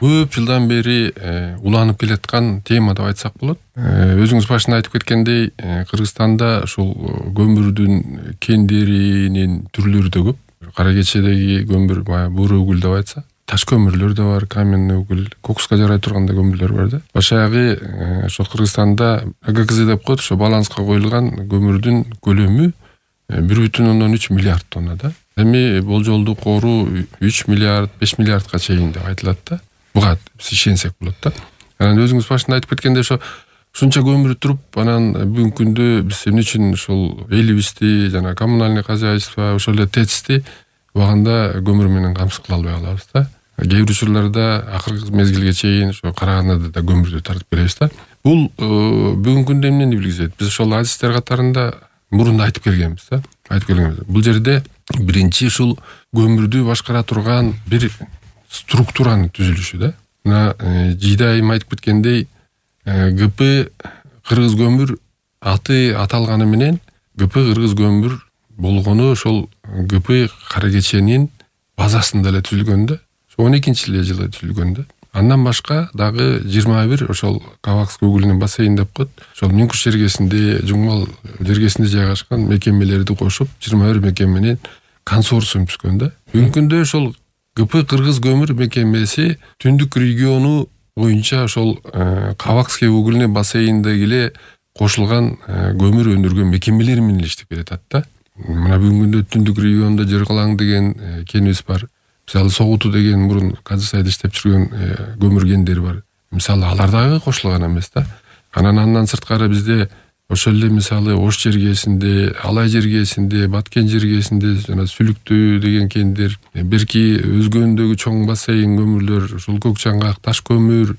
көп жылдан бери уланып келаткан тема деп айтсак болот. Өзүңүз башында айтып кеткендей, Кыргызстанда ушул көмүрдүн кендеринин түрлөрү да көп. Кара кечедеги көмүр баягы бура угул деп айтса, таш көмүрлөр да бар, каменный угул, кокуска жарай турган да көмүрлөр бар да. Башагы ошо Кыргызстанда АГКЗ деп коет, ошо баланска коюлган көмүрдүн көлөмү 1,3 миллиард тонна да. Эми болжолдуу кору 3 миллиард, 5 миллиардга чейин деп айтылат да. Буга биз ишенсек болот да. Анан өзүңүз башында айтып кеткендей, ошо ушунча көмүр туруп, анан бүгүнкү күндө биз эмне үчүн ушул элибизди жана коммунальный хозяйство, ошол эле ТЭЦти убагында көмүр менен камсыз кыла албай калабыз да. Кээ бир учурларда акыркы мезгилге чейин ошо Караганада да көмүрдү тартып келебиз да. Бул бүгүнкү күндө эмнени билгизет? Биз ошол адистер катарында мурунда айтып келгенбиз да. Бул жерде биринчи ушул көмүрдү башкара турган бир структуранын түзүлүшү да. Мына жийде айым айтып кеткендей, ГП Кыргыз көмүр аты аталганы менен ГП Кыргыз көмүр болгону ошол ГП Кара кеченин базасында эле түзүлгөн да. 12-жылы түзүлгөн да. Андан башка дагы 21 ошол Кавакский угольный бассейн деп коет. Ошол Мүңкүш жергесинде, Жуңгал жергесинде жайгашкан мекемелерди кошуп 21 мекеменин консорциум түзгөн да. Бүгүнкү күндө ошол ГП Кыргыз көмүр мекемеси түндүк региону боюнча ошол Кавакский угольный бассейниндеги эле кошулган көмүр өндүргөн мекемелер менен иштеп келатат да. Мына бүгүнкү күндө түндүк региондо Жыргалаң деген кенибиз бар. Мисалы Согуту деген мурун Казысайда иштеп жүргөн көмүр кендери бар. Мисалы алар дагы кошулган эмес да. Андан сырткары бизде ошол эле мисалы Ош жергесинде, Алай жергесинде, Баткен жергесинде жана Сүлүктүү деген кендер, берки өзгөндөгү чоң бассейн көмүрлөр, ушул Көк Чаңгак, Таш көмүр,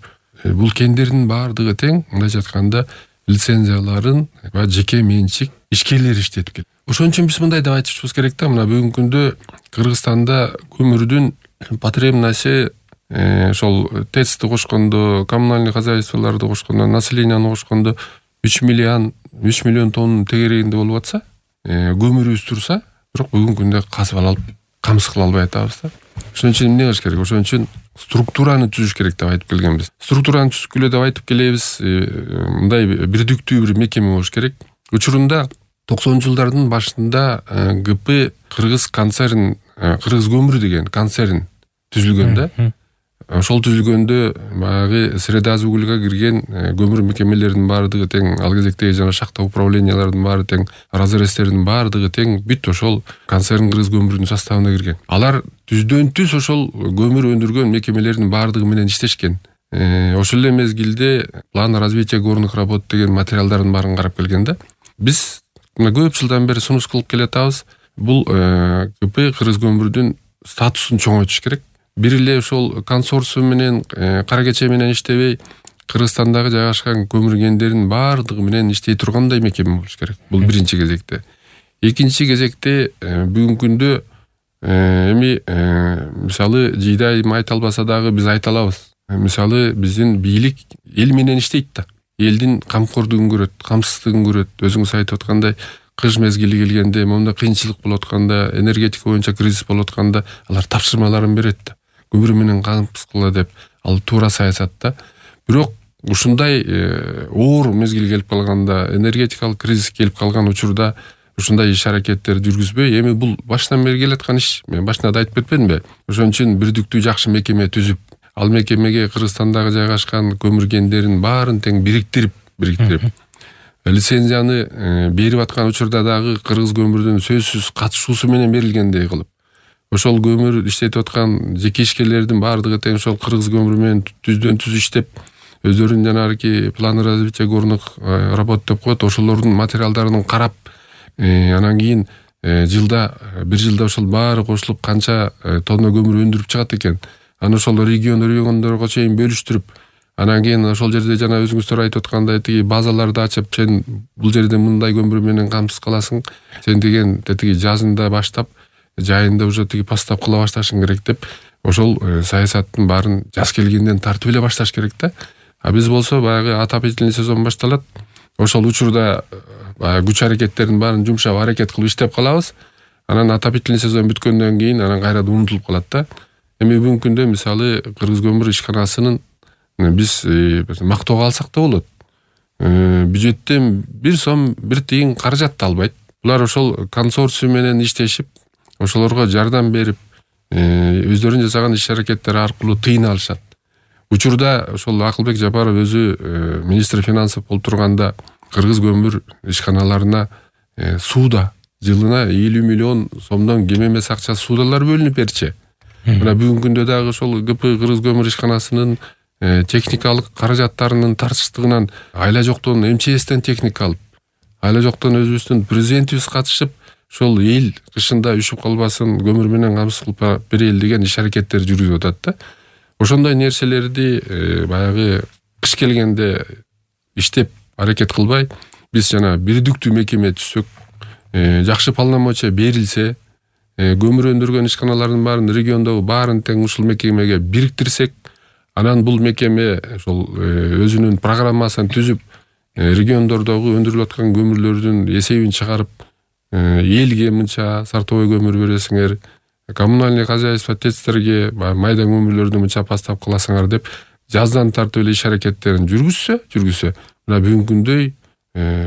бул кендердин баардыгы тең мындайча айтканда лицензияларын ва жеке менчик ишкерлер иштетип келет. Ошон үчүн биз мындай деп айтышыбыз керек да, мына бүгүнкү күндө Кыргызстанда көмүрдүн потребности ошол ТЭЦти кошкондо, коммунальный хозяйстволорду кошкондо, населенияны кошкондо 3 миллион тонн тегерегинде болуп атса, көмүрүбүз турса, бирок бүгүнкү күндө казып алып, камсыз кыла албай атабыз да. Ошон үчүн эмне кылыш керек? Ошон үчүн структураны түзүш керек деп айтып келгенбиз. Структураны түзгүлө деп айтып келебиз. Мындай бирдиктүү бир мекеме болуш керек. Учурунда 90-жылдардын башында ГП Кыргыз концерн, Кыргыз көмүр деген концерн түзүлгөн да. Ошол түзүлгөндө баягы Средаз угульга кирген көмүр мекемелеринин баардыгы тең, ал кезектеги жана шахта управлениялардын баары тең, разрезтердин баардыгы тең бүт ошол концерн Кыргыз көмүрүнүн составына кирген. Алар түздөн түз ошол көмүр өндүргөн мекемелердин баардыгы менен иштешкен. Ошол эле мезгилде план развития горных работ деген материалдардын баарын карап келген да. Биз көп жылдан бери сунуш кылып келатабыз. Бул ГП Кыргыз көмүрдүн статусун чоңойтуш керек. Бир эле ошол консорциум менен, Кара кече менен иштебей, Кыргызстандагы жайгашкан көмүр кендеринин баардыгы менен иштей тургандай мекеме болуш керек. Бул биринчи кезекте. Экинчи кезекте бүгүнкү күндө эми мисалы жийде айым айта албаса дагы биз айта алабыз. Мисалы биздин бийлик эл менен иштейт да. Элдин камкордугун көрөт, камсыздыгын көрөт. Өзүңүз айтып аткандай, кыш мезгили келгенде, момундай кыйынчылык болуп атканда, энергетика боюнча кризис болуп атканда, алар тапшырмаларын берет да. Көмүр менен камсыз кыла деп, ал туура саясат да. Бирок ушундай оор мезгил келип калганда, энергетикалык кризис келип калган учурда ушундай иш-аракеттер жүргүзбөй, эми бул башынан бери келаткан иш. Мен башында да айтып кетпедимби? Ошон үчүн бирдиктүү жакшы мекеме түзүп, ал мекемеге Кыргызстандагы жайгашкан көмүр кендеринин баарын тең бириктирип лицензияны берип аткан учурда дагы Кыргыз көмүрдүн сөзсүз катышуусу менен берилгендей кылып, ошол көмүр иштетип аткан жеке ишкерлердин баардыгы тең ошол Кыргыз көмүрү менен түздөн түз иштеп, өздөрүнүн жанагы планы развития горных работ деп коет, ошолордун материалдарын карап, анан кийин бир жылда ошол баары кошулуп канча тонна көмүр өндүрүп чыгат экен. Аны ошол региондорго чейин бөлүштүрүп, анан кийин ошол жерде жана өзүңүздөр айтып аткандай тиги базаларды ачып, сен бул жерде мындай көмүр менен камсыз кыласың, сен деген тиги жазында баштап, жайында уже тиги постап кыла башташың керек деп, ошол саясаттын баарын жаз келгенден тартып эле башташ керек да. А биз болсо баягы отопительный сезон башталат. Ошол учурда күч аракеттердин баарын жумшап аракет кылып иштеп калабыз. Анан отопительный сезон бүткөндөн кийин анан кайра унутулуп калат да. Эми бүгүнкү күндө мисалы Кыргыз көмүр ишканасынын биз мактоого алсак да болот. Бюджеттен 1 сом 1 тыйын каражат да албайт. Булар ошол консорциум менен иштешип, ошолорго жардам берип, өздөрүнүн жасаган иш-аракеттери аркылуу тыйын алышат. Учурда ошол Акылбек Жапаров өзү министр финансов болуп турганда Кыргыз көмүр ишканаларына сууда жылына 50 миллион сомдон кем эмес акча суудалар бөлүнүп берчү. Мына бүгүнкү күндө дагы ошол ГП Кыргыз көмүр ишканасынын техникалык каражаттарынын тартыштыгынан айла жоктон МЧСтен техника алып, айла жоктон өзүбүздүн президентибиз катышып, ошол эл кышында үшүп калбасын, көмүр менен камсыз кылып берели деген иш-аракеттер жүргүзүп атат да. Ошондой нерселерди баягы кыш келгенде иштеп аракет кылбай, биз жана бирдиктүү мекеме түзсөк, жакшы полномочия берилсе, көмүр өндүргөн ишканалардын баарын региондогу баарын тең ушул мекемеге бириктирсек, анан бул мекеме ошол өзүнүн программасын түзүп, региондордогу өндүрүлүп аткан көмүрлөрдүн эсебин чыгарып, элге мынча сортовой көмүр бересиңер, коммунальный хозяйство ТЭЦтерге майда көмүрлөрдү мынча поставка кыласыңар деп жаздан тартып эле иш-аракеттерин жүргүзсө, мына бүгүнкү күндөй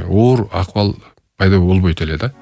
оор акыбал пайда болбойт эле да.